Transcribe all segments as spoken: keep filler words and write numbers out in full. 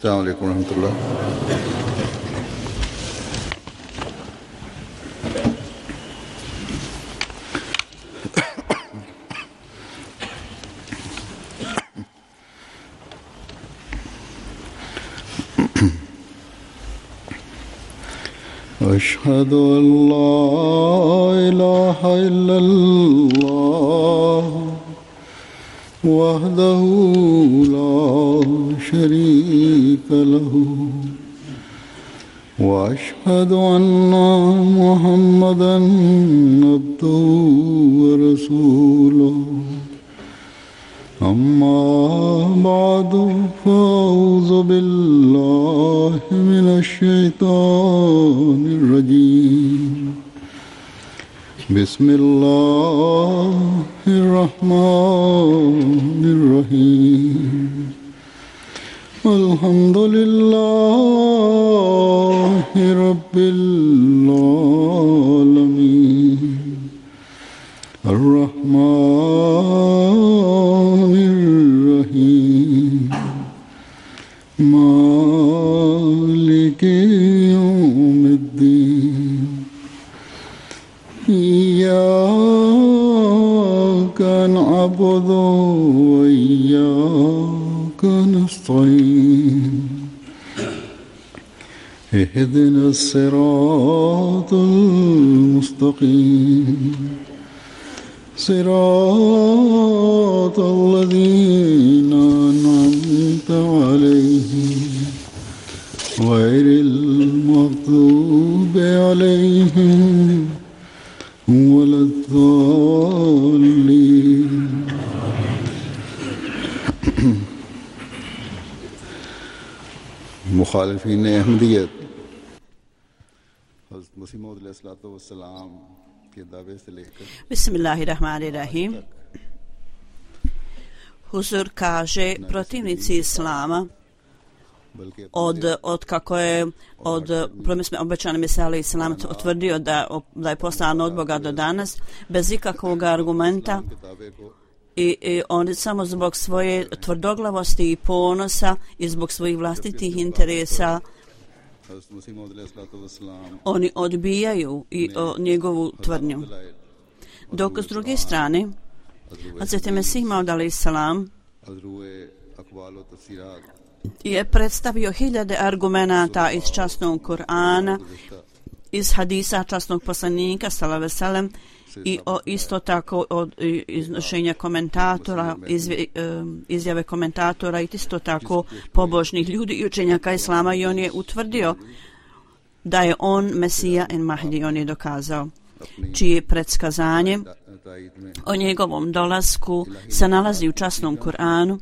Assalamu alaikum wa rahmatullah. أشهد أن لا إله إلا الله وحده لا شريك له وأشهد أن محمدا عبده ورسوله أما بعد فأعوذ بالله من الشيطان الرجيم بسم الله الرحمن الرحيم الحمد لله رب العالمين الرحمن الرحيم مالك يوم الدين إياك نعبد وإياك نستعين اهدنا الصراط المستقيم صراط الذين أنعمت عليهم غير المغضوب عليهم ولا الضالين. मुखालिफीन अहमदियत हज़रत मसीह मौऊद अलैहिस्सलाम के दावे से लेकर Bismillahirrahmanirrahim. Huzur kaže, protivnici islama od, od kako je od promisme obećane Mesija alejhi selam utvrdio da, da je poslan od Boga do danas bez ikakvog argumenta i, i oni samo zbog svoje tvrdoglavosti i ponosa i zbog svojih vlastitih interesa oni odbijaju i o, njegovu tvrdnju. Dok s druge strane Hazreti Mesih Maud alejhi selam je predstavio hiljade argumenata iz časnog Kur'ana, iz hadisa časnog poslanika sallallahu alejhi ve sellem i o, isto tako od iznošenja komentatora, izve, izjave komentatora i isto tako pobožnih ljudi i učenjaka islama i on je utvrdio da je on Mesija en Mahdi, on je dokazao čije predskazanje o njegovom dolasku se nalazi u časnom Kur'anu.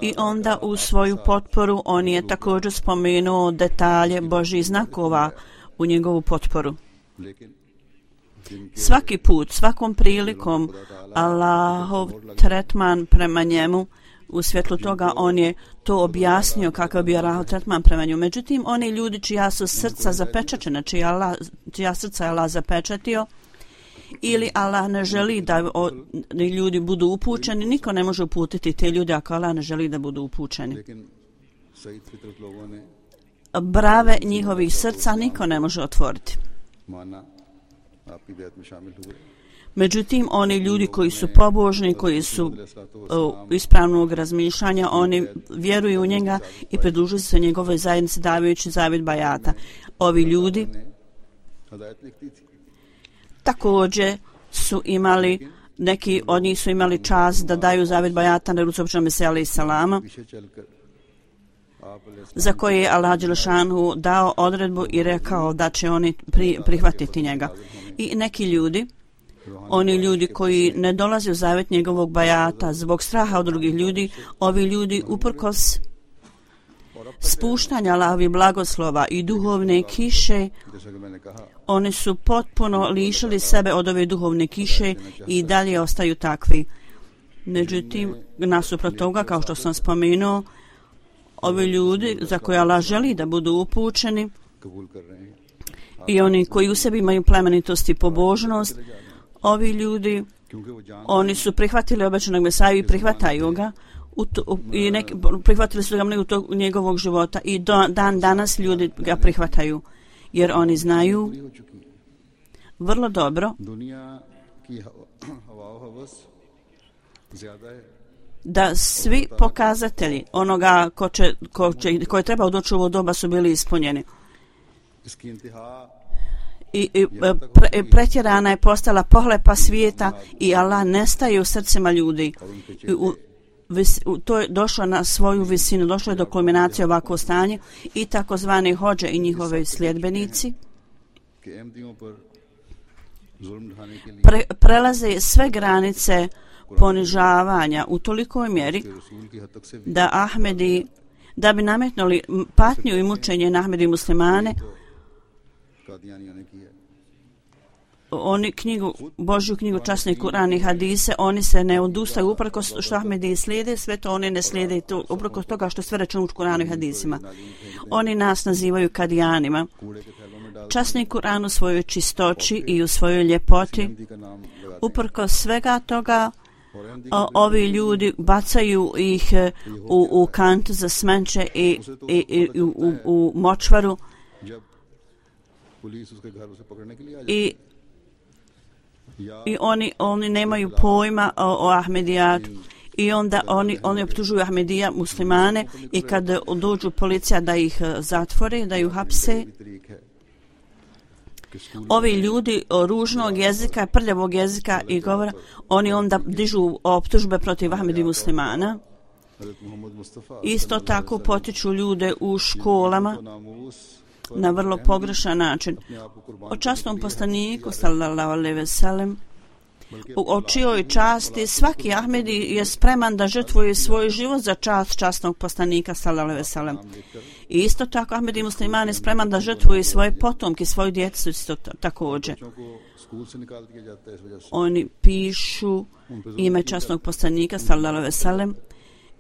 I onda u svoju potporu on je također spomenuo detalje Božjih znakova u njegovu potporu. Svaki put, svakom prilikom Allahov tretman prema njemu, u svjetlu toga on je to objasnio kakav bi Allahov tretman prema njemu. Međutim, oni ljudi čija su srca zapečačena, čija, Allah, čija srca je Allah zapečatio, ili Allah ne želi da o, ljudi budu upućeni, niko ne može uputiti te ljude ako Allah ne želi da budu upućeni. Brave njihovih srca niko ne može otvoriti. Međutim, oni ljudi koji su pobožni, koji su uh, ispravnog razmišljanja, oni vjeruju u njega i pridružuju se njegovoj zajednici davajući zavjet bajata. Ovi ljudi također su imali, neki od njih su imali čast da daju zavjet bajata na ruci običnog Mesija alejhi selama, za koje je Allah dželešanu dao odredbu i rekao da će oni pri, prihvatiti njega. I neki ljudi, oni ljudi koji ne dolaze u zavjet njegovog bajata zbog straha od drugih ljudi, ovi ljudi uprkos spuštanja Allahovih blagoslova i duhovne kiše, oni su potpuno lišili sebe od ove duhovne kiše i dalje ostaju takvi. Međutim, nasuprot toga, kao što sam spomenuo, ovi ljudi za koje Allah želi da budu upućeni i oni koji u sebi imaju plemenitost i pobožnost, ovi ljudi, oni su prihvatili obećanog Mesaju i prihvataju ga u to, u, i neki, prihvatili su ga mnogo tog njegovog života i do, dan danas ljudi ga prihvataju jer oni znaju vrlo dobro da svi pokazatelji onoga ko, će, ko, će, ko je trebao doći u ovo doba su bili ispunjeni. I, i pre, pretjerana je postala pohlepa svijeta i Allah nestaje u srcima ljudi. I u, vis, u, to je došlo na svoju visinu, došlo je do kulminacije ovako stanje i takozvani hođe i njihove sljedbenici pre, prelaze sve granice ponižavanja u tolikoj mjeri da Ahmedi, da bi nametnuli patnju i mučenje na Ahmedi muslimane, oni knjigu, Božju knjigu, časni Kur'an i hadise, oni se ne odustaju uprkos što Ahmedi slijede, sve to oni ne slijede uprkos toga što sve rečeno u Kur'anu i hadisima. Oni nas nazivaju kadijanima. Časni Kur'an u svojoj čistoći i u svojoj ljepoti, uprkos svega toga, o, ovi ljudi bacaju ih u, u kant za smeće i, i, i u, u, u močvaru i, i oni, oni nemaju pojma o, o Ahmedijatu i onda oni, oni optužuju Ahmedija muslimane i kad dođu policija da ih zatvore, da ih hapse, ovi ljudi ružnog jezika, prljavog jezika i govora, oni onda dižu optužbe protiv Ahmedi muslimana. Isto tako potiču ljude u školama na vrlo pogrešan način. O časnom poslaniku, sallallahu alejhi ve sellem, o čijoj časti svaki Ahmedi je spreman da žrtvuje svoj život za čast časnog poslanika, sallallahu alejhi ve sellem. I isto tako Ahmedi musliman je spreman da žrtvuje svoje potomke, svoju djecu isto također. Oni pišu ime časnog poslanika, sallallahu alejhi ve sellem,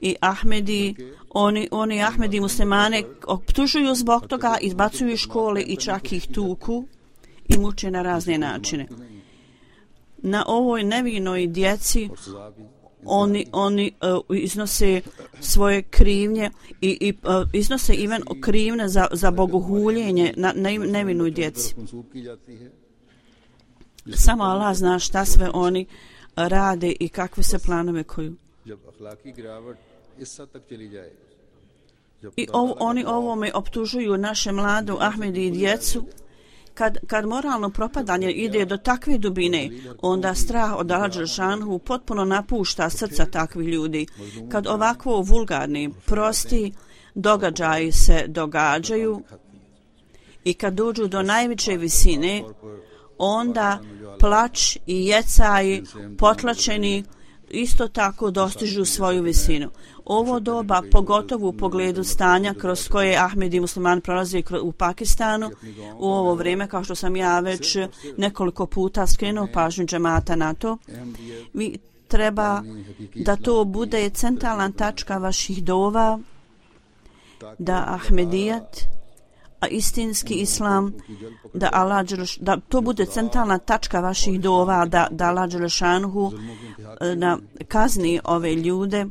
i Ahmedi, oni, oni Ahmedi muslimane optužuju zbog toga, izbacuju iz škole i čak ih tuku i muče na razne načine. Na ovoj nevinoj djeci oni, oni uh, iznose svoje krivnje i, i uh, iznose even krivne za, za bogohuljenje na, na nevinoj djeci. Samo Allah zna šta sve oni rade i kakve se planove koju. I ov, oni ovome optužuju naše mladu Ahmedi i djecu. Kad, kad moralno propadanje ide do takve dubine, onda strah od Allah dželešanu potpuno napušta srca takvih ljudi. Kad ovakvo vulgarni, prosti događaji se događaju i kad dođu do najveće visine, onda plać i jecaj potlačeni isto tako dostižu svoju visinu. Ovo doba, pogotovo u pogledu stanja kroz koje Ahmedi musliman prolazi u Pakistanu, u ovo vrijeme, kao što sam ja već nekoliko puta skrenuo pažnju džemata na to, vi treba da to bude centralna tačka vaših dova, da Ahmedijat, a istinski islam, da, Allah, da to bude centralna tačka vaših dova, da, da Allah dželešanhu na kazni ove ljude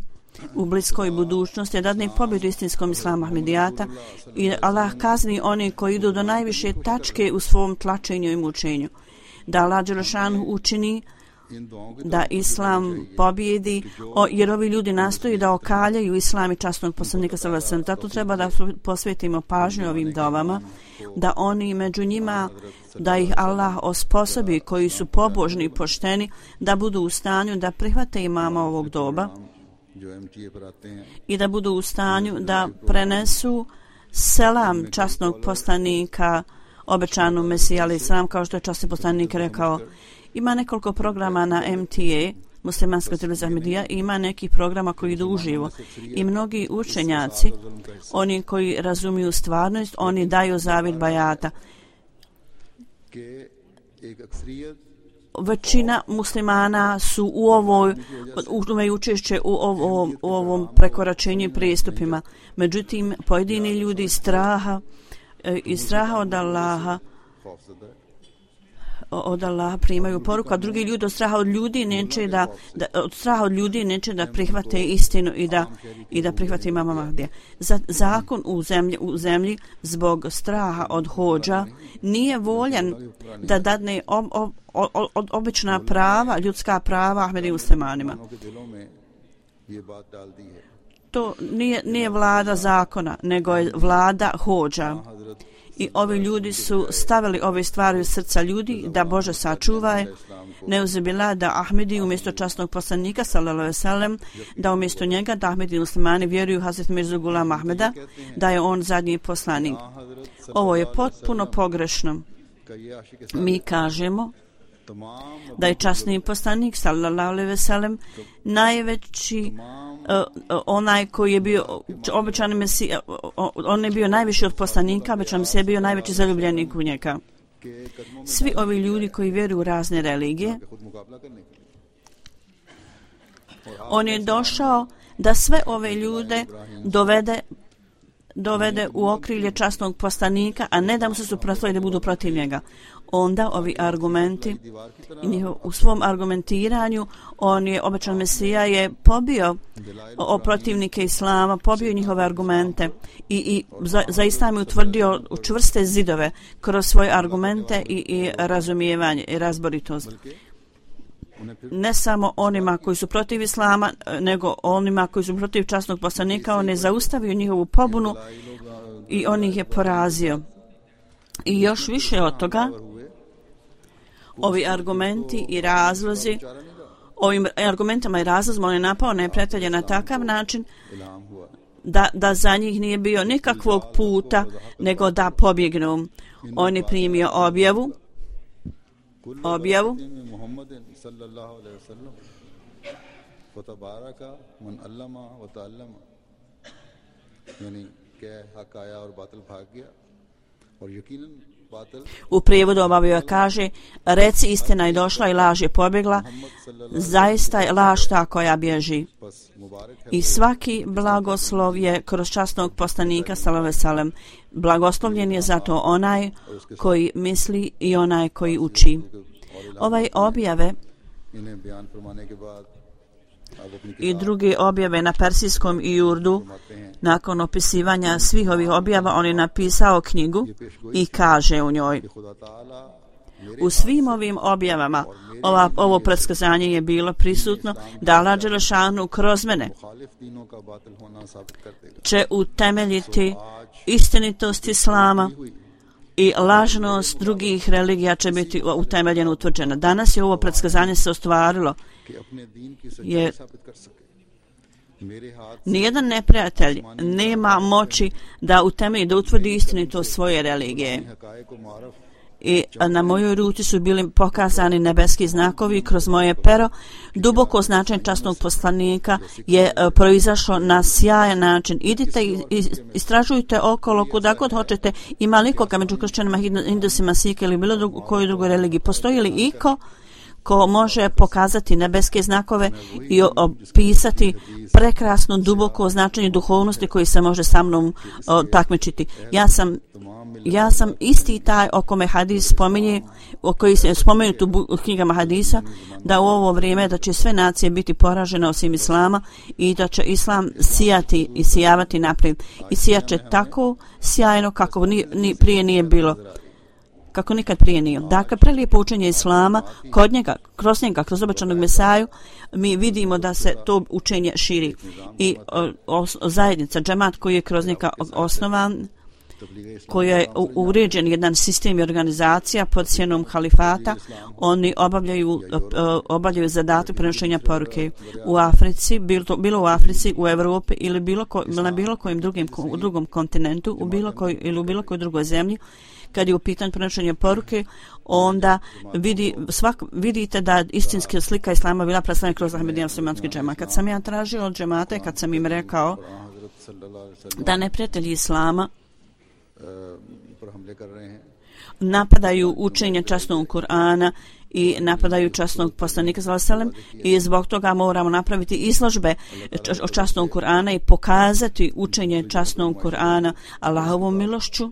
u bliskoj budućnosti, da dadne pobjedu istinskom islamu Ahmedijata i Allah kazni oni koji idu do najviše tačke u svom tlačenju i mučenju. Da Allah dželešanhu učini da islam pobjedi, o, jer ovi ljudi nastoji da okaljaju islam i časnog poslanika sallallahu alejhi ve sellem. Zato treba da posvetimo pažnju ovim dovama, da oni među njima, da ih Allah osposobi koji su pobožni i pošteni, da budu u stanju da prihvate imama ovog doba i da budu u stanju da prenesu selam časnog poslanika, obećanu Mesija alejhi selam, kao što je časni poslanik rekao. Ima nekoliko programa na M T A, muslimanska televizija Ahmedija, i ima neki programa koji idu uživo. I mnogi učenjaci, oni koji razumiju stvarnost, oni daju zavid bajata. Većina muslimana su u ovoj, imaju učešće u ovom, u ovom prekoračenju i pristupima. Međutim, pojedini ljudi iz straha, iz straha od Allaha, od Allaha primaju poruku, a drugi ljudi od straha od ljudi neće da, da od straha od ljudi neće da prihvate istinu i da i da prihvate imama Mahdija. Za, zakon u zemlji u zemlji zbog straha od hodža nije voljan da dadne ob, ob, ob, ob, obična prava, ljudska prava Ahmedi muslimanima. To nije, nije vlada zakona, nego je vlada hodža. I ovi ljudi su stavili ove stvari u srca ljudi da Bože sačuvaj, neuzubila da Ahmedi umjesto časnog poslanika sallallahu alejhi ve sellem, da umjesto njega da Ahmedi muslimani vjeruju Hazret Mirzu Gulam Ahmeda, da je on zadnji poslanik. Ovo je potpuno pogrešno. Mi kažemo da je časni poslanik sallallahu alejhi ve sellem najveći uh, onaj koji je bio obećani mesija, on je bio najviši od poslanika, obećan mesija je bio najveći zaljubljenik u njega. Svi ovi ljudi koji vjeruju u razne religije, on je došao da sve ove ljude dovede dovede u okrilje časnog poslanika, a ne da mu se suprotstavi da budu protiv njega. Onda ovi argumenti, u svom argumentiranju, on je, obećan Mesija je pobio o protivnike Islama, pobio njihove argumente i, i za, za Islam je utvrdio čvrste zidove kroz svoje argumente i, i razumijevanje i razboritost. Ne samo onima koji su protiv Islama, nego onima koji su protiv časnog poslanika, on je zaustavio njihovu pobunu i on ih je porazio. I još više od toga, ovi argumenti i razlozi, ovim argumentima i razlozima on je napao neprijatelje na takav način da, da za njih nije bio nikakvog puta, nego da pobjegnu. On je primio objavu, objavu u prijevodu obavio kaže: reci istina je došla i laž je pobjegla, zaista je laž ta koja bježi. I svaki blagoslov je kroz časnog poslanika sallallahu alejhi ve sellem. Blagoslovljen je zato onaj koji misli i onaj koji uči. Ovaj objave i druge objave na persijskom i urdu, nakon opisivanja svih ovih objava, on je napisao knjigu i kaže u njoj: u svim ovim objavama ova, ovo predskazanje je bilo prisutno da Allah dželešanu kroz mene će utemeljiti istinitost Islama i lažnost drugih religija će biti utemeljena, utvrđena. Danas je ovo predskazanje se ostvarilo, jer nijedan neprijatelj nema moći da utemelji, da utvrdi istinitost svoje religije. I na mojoj ruci su bili pokazani nebeski znakovi kroz moje pero. Duboko značenje časnog poslanika je proizašlo na sjajan način. Idite i istražujte okolo kuda god hoćete. Ima li ikoga među kršćanima, hindusima, Sikh ili bilo drugo, koju drugoj religiji? Postoji li iko ko može pokazati nebeske znakove i opisati prekrasno duboko značenje duhovnosti koji se može sa mnom o, takmičiti? Ja sam Ja sam isti taj o kome hadis spominje, o koji se spomenut u knjigama hadisa, da u ovo vrijeme da će sve nacije biti poražene osim Islama i da će Islam sijati i sijavati naprijed. I sijaće tako sjajno kako ni, ni prije nije bilo. Kako nikad prije nije. Dakle, prelijepo učenje Islama, kod njega, kroz njega, kroz obećanog Mesaju, mi vidimo da se to učenje širi. I o, o, zajednica, džemat koji je kroz njega osnovan, koji je uređen jedan sistem i organizacija pod sjenom halifata, oni obavljaju, obavljaju zadatak prenošenja poruke u Africi, bilo, to, bilo u Africi, u Evropi ili bilo ko, na bilo kojem drugim, u drugom kontinentu, u bilo koj, ili u bilo kojoj drugoj zemlji. Kad je u pitanju prenošenja poruke, onda vidi, svak, vidite da istinska slika Islama bila predstavljena kroz Ahmedija muslimanski džemat. Kad sam ja tražio od džemata, kad sam im rekao da neprijatelji Islama napadaju učenje časnog Kur'ana i napadaju časnog poslanika sallallahu alejhi ve sellem, i zbog toga moramo napraviti izložbe o časnog Kur'ana i pokazati učenje časnog Kur'ana Allahovom milošću.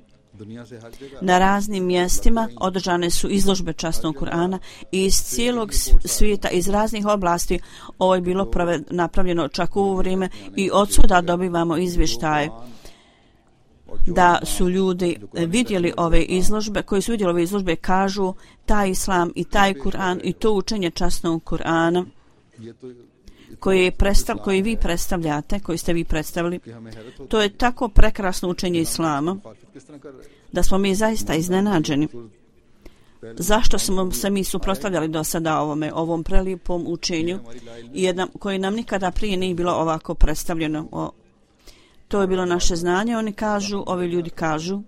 Na raznim mjestima održane su izložbe časnog Kur'ana i iz cijelog svijeta, iz raznih oblasti. Ovo je bilo prave, napravljeno čak u ovo vrijeme i odsuda dobivamo izvještaje da su ljudi vidjeli ove izložbe, koji su vidjeli ove izložbe, kažu taj islam i taj Kur'an i to učenje časnog Kur'ana koji, predstav, koji vi predstavljate, koji ste vi predstavili, to je tako prekrasno učenje islama da smo mi zaista iznenađeni. Zašto smo se mi suprotstavljali do sada ovome, ovom prelijepom učenju, jedan, koji nam nikada prije nije bilo ovako predstavljeno. O, to je bilo naše znanje, oni kažu, ovi ljudi kažu,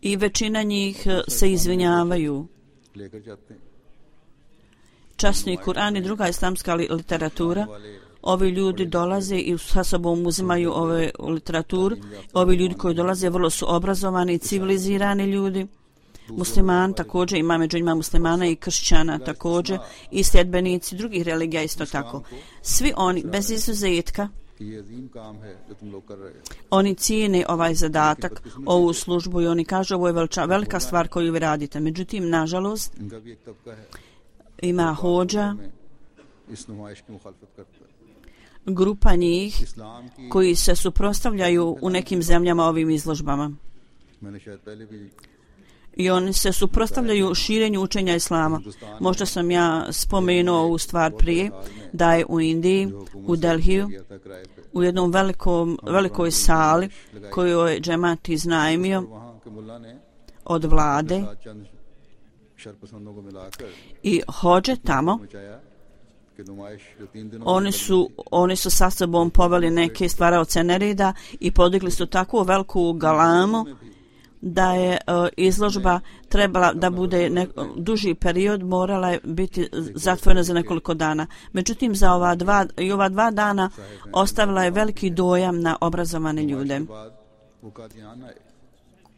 i većina njih se izvinjavaju. Časni Kur'an i druga islamska literatura, ovi ljudi dolaze i sa sobom uzimaju ove literaturu. Ovi ljudi koji dolaze vrlo su obrazovani i civilizirani ljudi. Musliman također, ima među njima muslimana i kršćana također i sljedbenici drugih religija isto tako. Svi oni, bez izuzetka, oni cijene ovaj zadatak, ovu službu i oni kažu ovo je velika, velika stvar koju vi radite. Međutim, nažalost, ima hođa, grupa njih koji se suprotstavljaju u nekim zemljama ovim izložbama. I oni se suprotstavljaju širenju učenja islama. Možda sam ja spomenuo ovu stvar prije, da je u Indiji, u Delhiju, u jednom velikom, velikoj sali koju je džemat iznajmio od vlade i hođe tamo, oni su, oni su sa sobom poveli neke stvaraoce nereda i podigli su takvu veliku galamu da je uh, izložba trebala da bude ne, duži period, morala je biti zatvorena za nekoliko dana. Međutim, za ova dva, i ova dva dana ostavila je veliki dojam na obrazovane ljude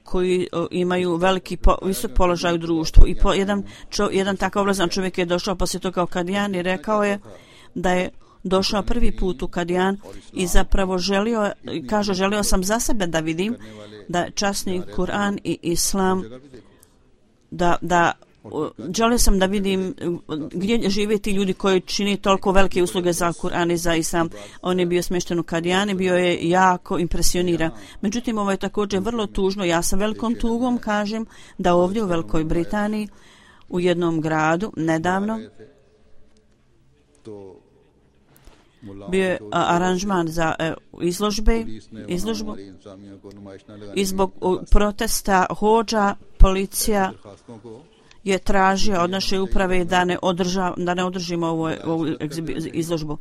koji uh, imaju veliki po, visok položaj u društvu. I po, jedan, čo, jedan takav obrazovan čovjek je došao poslije toga u Kadijan i rekao je da je došao prvi put u Kadijan i zapravo želio, kaže, želio sam za sebe da vidim da časni Kur'an i Islam, da, da želio sam da vidim gdje žive ti ljudi koji čini toliko velike usluge za Kur'an i za Islam. On je bio smješten u Kadijani, bio je jako impresioniran. Međutim, ovo je također vrlo tužno. Ja sa velikom tugom kažem da ovdje u Velikoj Britaniji u jednom gradu nedavno bio je aranžman za e, izložbe, izložbu i zbog protesta hođa policija je tražio od naše uprave da ne, održa, da ne održimo ovu, ovu izložbu.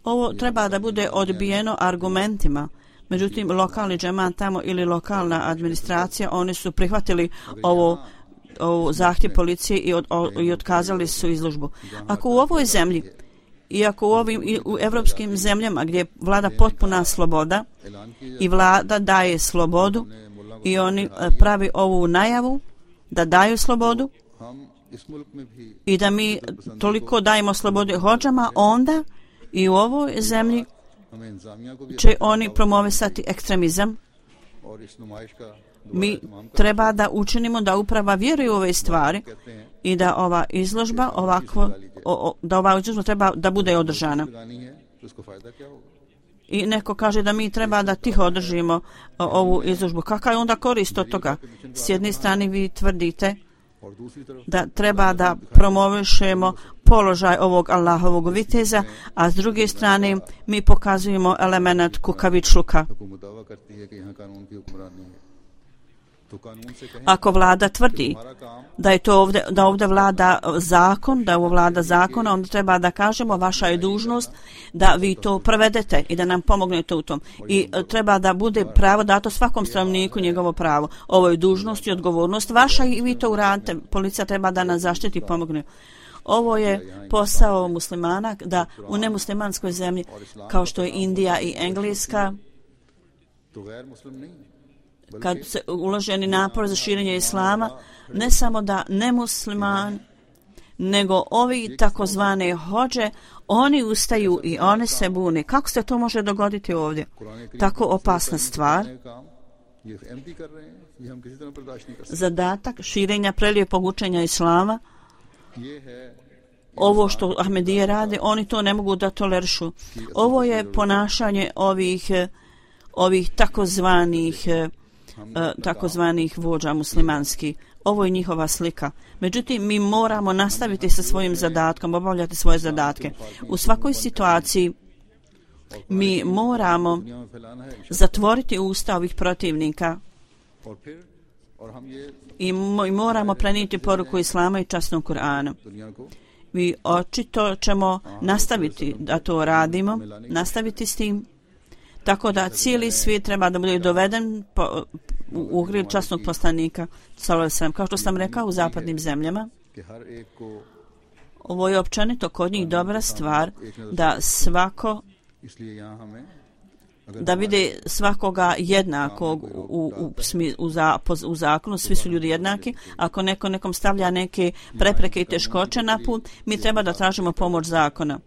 Ovo treba da bude odbijeno argumentima. Međutim, lokalni džemat tamo ili lokalna administracija, oni su prihvatili ovo o zahtjev policije i, od, o, i otkazali su izložbu. Ako u ovoj zemlji i ako u ovim i u evropskim zemljama gdje vlada potpuna sloboda i vlada daje slobodu i oni pravi ovu najavu da daju slobodu i da mi toliko dajemo slobode hođama, onda i u ovoj zemlji će oni promovisati ekstremizam. Mi treba da učinimo da uprava vjeruje u ove stvari i da ova izložba ovakvo, o, o, da ova izložba treba da bude održana. I neko kaže da mi treba da tiho održimo o, ovu izložbu. Kakva je onda korist od toga? S jedne strane vi tvrdite da treba da promovišemo položaj ovog Allahovog viteza, a s druge strane mi pokazujemo element kukavičluka. Ako vlada tvrdi da je to ovdje, da ovdje vlada zakon, da ovo vlada zakona, onda treba da kažemo vaša je dužnost da vi to provedete i da nam pomognete u tom. I treba da bude pravo dato svakom stanovniku njegovo pravo. Ovo je dužnost i odgovornost vaša i vi to uradite. Policija treba da nas zaštiti i pomogne. Ovo je posao muslimana da u nemuslimanskoj zemlji kao što je Indija i Engleska, kad se uloženi napor za širenje islama, ne samo da nemusliman, nego ovi takozvane hođe, oni ustaju i oni se bune. Kako se to može dogoditi ovdje? Tako opasna stvar. Zadatak širenja prelijepog učenja islama, ovo što Ahmedije rade, oni to ne mogu da tolerišu. Ovo je ponašanje ovih, ovih takozvanih, takozvanih vođa muslimanskih. Ovo je njihova slika. Međutim, mi moramo nastaviti sa svojim zadatkom, obavljati svoje zadatke. U svakoj situaciji mi moramo zatvoriti usta ovih protivnika i moramo prenijeti poruku islama i časnog Kur'ana. Mi očito ćemo nastaviti da to radimo, nastaviti s tim, tako da cijeli svijet treba da bude doveden po, u ugril časnog poslanika, kao što sam rekao u zapadnim zemljama. Ovo je općenito kod njih dobra stvar da svako da vide svakoga jednakog u, u, u, za, u zakonu, svi su ljudi jednaki. Ako neko nekom stavlja neke prepreke i teškoće na put, mi treba da tražimo pomoć zakona.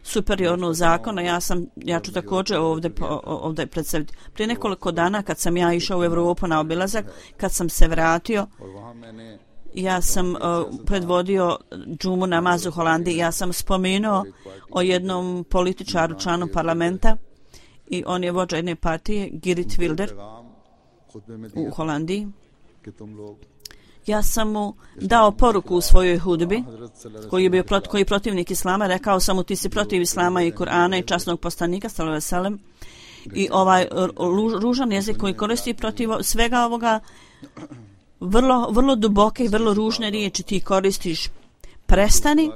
Superiornu zakona, ja sam, ja ću također ovdje, ovdje predstaviti. Prije nekoliko dana kad sam ja išao u Evropu na obilazak, kad sam se vratio, ja sam uh, predvodio džumu namaz u Holandiji, ja sam spomenuo o jednom političaru, članu parlamenta, i on je vođa jedne partije, Geert Wilders, u Holandiji. Ja sam mu dao poruku u svojoj hudbi, koji je bio prot, koji je protivnik islama, rekao sam mu ti si protiv islama i Kur'ana i časnog poslanika, sallallahu alejhi ve sellem, i ovaj ružan jezik koji koristi protiv svega ovoga, vrlo, vrlo duboke i vrlo ružne riječi ti koristiš. Prestani,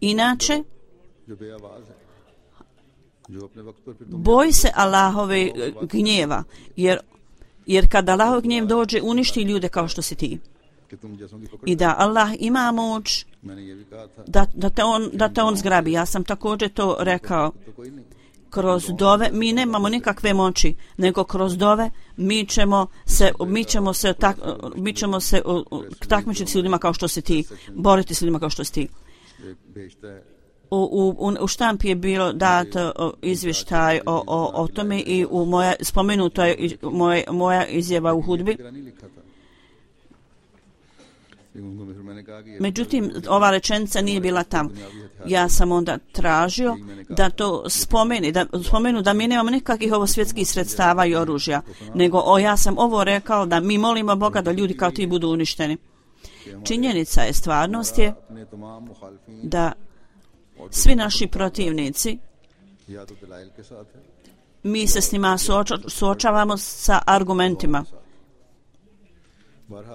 inače boj se Allahove gnjeva, jer, jer kada Allahov gnjev dođe, uništi ljude kao što si ti. I da Allah ima moć da, da, te on, da te on zgrabi. Ja sam također to rekao. Kroz dove mi nemamo nikakve moći, nego kroz dove mi ćemo se, mi ćemo se, tak, mi ćemo se takmičiti s ljudima kao što si ti, boriti s ljudima kao što si ti. U, u, u štampi je bilo dat izvještaj o, o, o tome i u moja, spomenuto je moja, moja izjava u hudbi. Međutim, ova rečenica nije bila tam. Ja sam onda tražio da to spomeni, da spomenu da mi nemamo nikakvih ovo svjetskih sredstava i oružja, nego o, ja sam ovo rekao da mi molimo Boga da ljudi kao ti budu uništeni. Činjenica je, stvarnost je da svi naši protivnici, mi se s njima suoča, suočavamo sa argumentima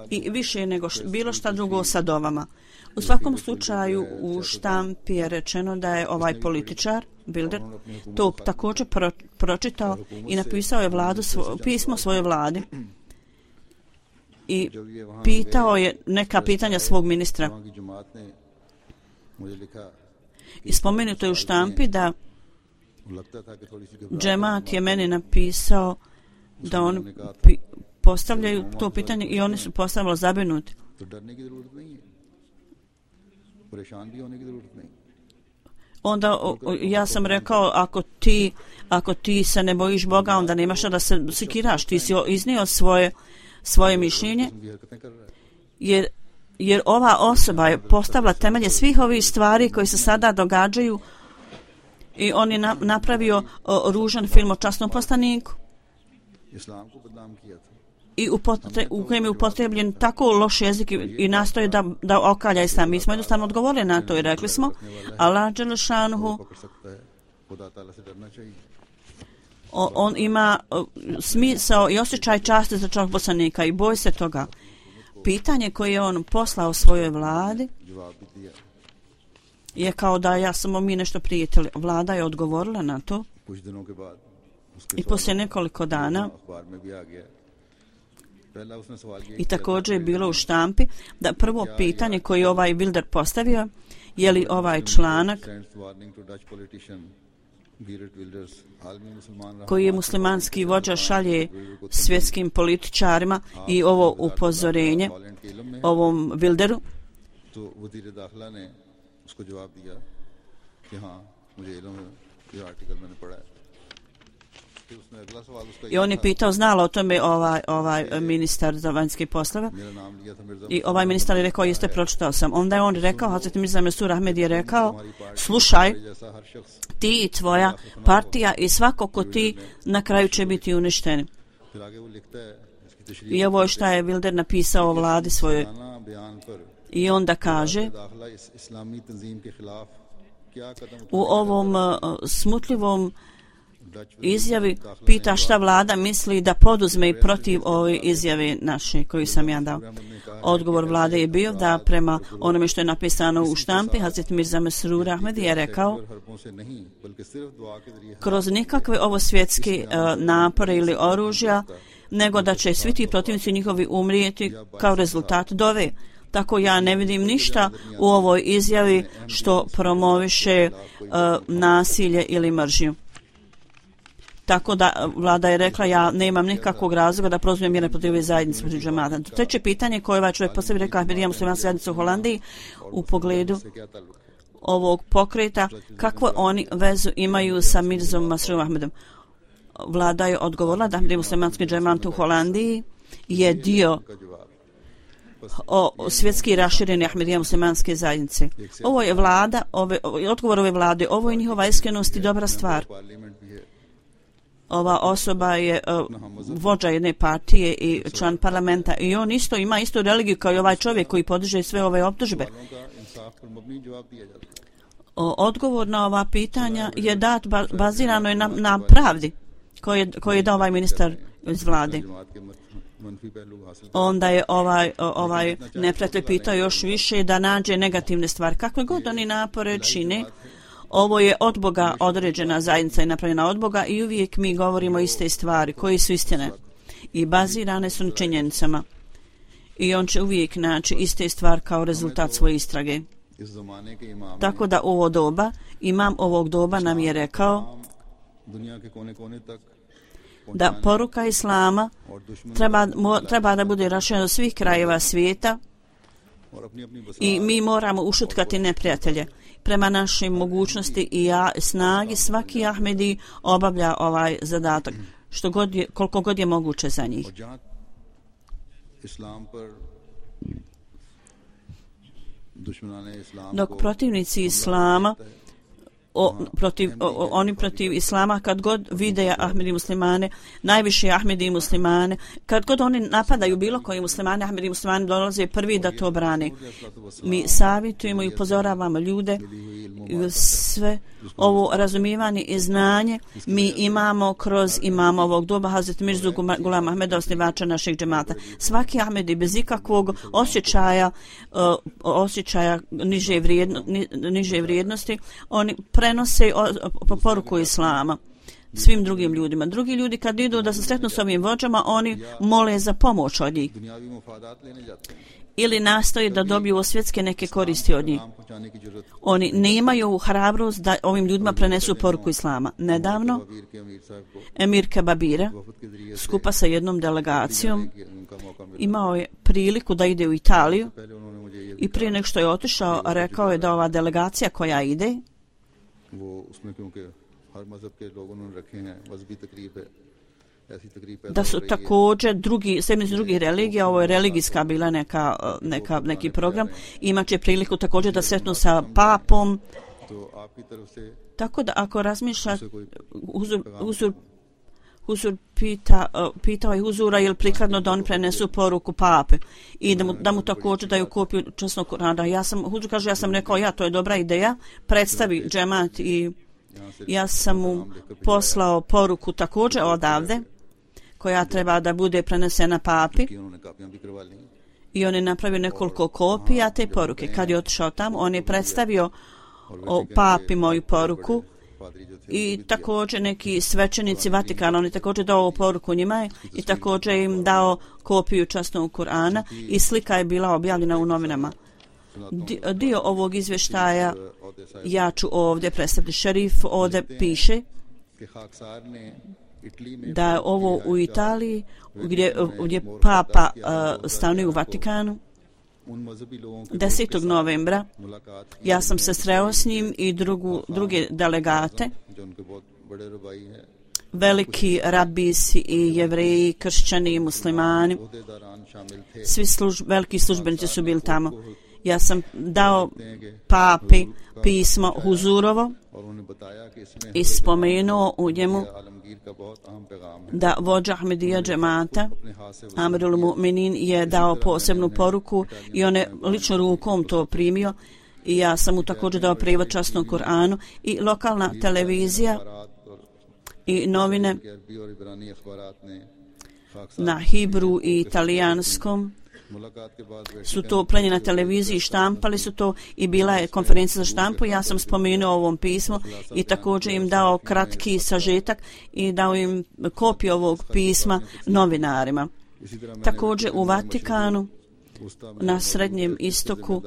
i više nego š, bilo šta drugo sa dovama. U svakom slučaju u štampi je rečeno da je ovaj političar Wilders to također pro, pročitao i napisao je vladu svo, pismo svoje vladi i pitao je neka pitanja svog ministra. I spomenuto je u štampi da džemat je meni napisao da on pi, postavljaju to pitanje i oni su postavili zabrinuti. Onda o, o, ja sam rekao, ako ti, ako ti se ne bojiš Boga, onda nemaš da se sikiraš. Ti si iznio svoje, svoje mišljenje, jer, jer ova osoba je postavila temelje svih ovih stvari koji se sada događaju i on je na, napravio o, ružan film o časnom poslaniku. I upotre, u kojem je upotrebljen tako loš jezik i, i nastoje da, da okalja islam. Mi smo jednostavno odgovorili na to i rekli smo Allah dželešanuhu, on ima smisao i osjećaj časti za čovjek poslanika i boj se toga. Pitanje koje je on poslao svojoj vladi je kao da ja samo mi nešto prijatelji. Vlada je odgovorila na to i poslije nekoliko dana i također je bilo u štampi da prvo pitanje koje je ovaj Wilders postavio, je li ovaj članak koji je muslimanski vođa šalje svjetskim političarima i ovo upozorenje ovom Wildersu, तो वज़ीर दाखिला ने उसको जवाब दिया कि हाँ मुझे इल्म है, ये आर्टिकल मैंने पढ़ा है। फिर उसने अगला सवाल उसका I on je pitao, znala o tome ovaj, ovaj ministar za vanjske poslove. मेरा नाम लिया था Mirza I ovaj ministar je rekao, jeste, pročitao sam. Onda je on rekao, Hazreti Mirza Mesur Ahmed je rekao, slušaj, जैसा हर शख्स ti i tvoja partija i svako ko ti na kraju će biti uništeni. फिर आगे वो लिखता है इसकी तशरीह I ovo je šta je Wilder napisao o vladi svojoj. खाना बयान पर I onda kaže, दाखिला इस इस्लामी तंजीम के खिलाफ क्या कदम u ovom uh, smutljivom izjavi pita šta vlada misli da poduzme i protiv ove izjave naše koju sam ja dao. Odgovor vlade je bio da prema onome što je napisano u štampi, Hazret Mirza Mesrur Ahmed je rekao, kroz nikakve ovo svjetske uh, napore ili oružja, nego da će svi ti protivnici njihovi umrijeti kao rezultat dove. Tako ja ne vidim ništa u ovoj izjavi što promoviše uh, nasilje ili mržnju. Tako da vlada je rekla, ja nemam nikakvog razloga da prozumem mjere protiv ove zajednice protiv džemata. Treće pitanje koje ovaj čovjek posebi rekao, Ahmedija muslimanska zajednica u Holandiji u pogledu ovog pokreta, kakvu oni vezu imaju sa Mirzom Masrurom Ahmedom. Vlada je odgovorila da Ahmedija muslimanski džemat u Holandiji je dio o, o svjetski raširene Ahmedija muslimanske zajednice. Ovo je vlada, ove, odgovor ove vlade, ovo je njihova iskrenost i dobra stvar. Ova osoba je uh, vođa jedne partije i član parlamenta i on isto ima istu religiju kao i ovaj čovjek koji podiže sve ove optužbe. O, odgovor na ova pitanja je dat ba, bazirano je na, na pravdi koji je, koji je dao ovaj ministar iz vlade. Onda je ovaj, ovaj neprijatelj pitao još više da nađe negativne stvari. Kakve god oni napore čine, ovo je od Boga određena zajednica i napravljena od Boga i uvijek mi govorimo iste stvari koji su istine i bazirane su na činjenicama. I on će uvijek naći iste stvari kao rezultat svoje istrage. Tako da ovo doba, imam ovog doba nam je rekao da poruka Islama treba, mo, treba da bude raširena do svih krajeva svijeta i mi moramo ušutkati neprijatelje. Prema našim mogućnosti i ja, snagi svaki Ahmedi obavlja ovaj zadatak što god je, koliko god je moguće za njih. Dok protivnici Islama O, protiv, o, oni protiv Islama kad god vide Ahmedi muslimane, najviše Ahmedi muslimane, kad god oni napadaju bilo koji muslimane, Ahmedi muslimane dolaze prvi da to brane. Mi savjetujemo i upozoravamo ljude, sve ovo razumijevanje i znanje mi imamo kroz imamo ovog doba Hazret Mirzu Gulama Ahmeda, osnivača našeg džemata. Svaki Ahmedi bez ikakvog osjećaja uh, osjećaja niže, vrijedno, ni, niže vrijednosti, oni prenose po poruku Islama svim drugim ljudima. Drugi ljudi kad idu da se sretnu s ovim vođama, oni mole za pomoć od njih ili nastoje da dobiju svjetske neke koristi od njih. Oni nemaju hrabrost da ovim ljudima prenesu poruku Islama. Nedavno Emir Kebabira skupa sa jednom delegacijom imao je priliku da ide u Italiju i prije nego što je otišao rekao je da ova delegacija koja ide da su također drugi, sedmice drugih religija, ovo je religijska bila neka, neka, neki program, imat će priliku također da sretnu sa papom. Tako da ako razmišlja Huzur, Huzur, Huzur pita, pita ovaj Huzura je li prikladno da oni prenesu poruku pape i da mu, da mu također daju kopiju časnog Kurana. Ja sam, Huzur kaže, ja sam rekao, ja, to je dobra ideja, predstavi džemat i ja sam mu poslao poruku također odavde koja treba da bude prenesena papi i on je napravio nekoliko kopija te poruke. Kad je otišao tamo, on je predstavio o papi moju poruku i također neki svećenici Vatikana, on je također dao poruku njima i također im dao kopiju časnog Kurana i slika je bila objavljena u novinama. Dio ovog izvještaja ja ću ovdje predstaviti. Šerif ovdje piše da je ovo u Italiji gdje, gdje papa uh, stanuje u Vatikanu desetog novembra ja sam se sreo s njim i drugu, druge delegate, veliki rabisi i jevreji, kršćani i muslimani. Svi služ, veliki službenici su bili tamo. Ja sam dao papi pismo Huzurovo i spomenuo u njemu da vođa Ahmedija džemata Amirul Mu'minin je dao posebnu poruku i on je lično rukom to primio i ja sam mu također dao prijevod časnog Kur'anu i lokalna televizija i novine na hibru i italijanskom su to prenijeli na televiziji, štampali su to i bila je konferencija za štampu. Ja sam spomenuo ovom pismu i također im dao kratki sažetak i dao im kopiju ovog pisma novinarima. Također u Vatikanu, na Srednjem istoku,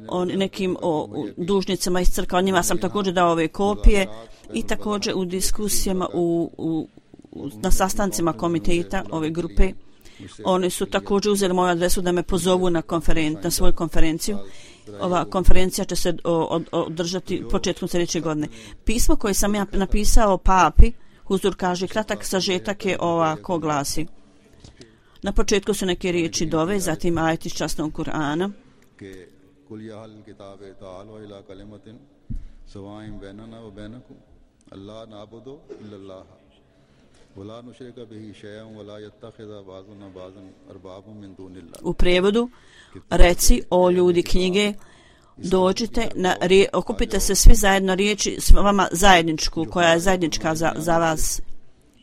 o nekim o dužnicama iz crkva, njima sam također dao ove kopije i također u diskusijama u, u, u, na sastancima komiteta ove grupe. Oni su također uzeli moju adresu da me pozovu na, konferen- na svoju konferenciju. Ova konferencija će se održati početkom sljedeće godine. Pismo koje sam ja napisao papi, Huzur kaže, kratak sažetak je ovako glasi. Na početku su neke riječi dove, zatim ajet iz časnog Kur'ana. U prijevodu, reci o ljudi knjige, dođite, na, okupite se svi zajedno riječi s vama zajedničku, koja je zajednička za, za vas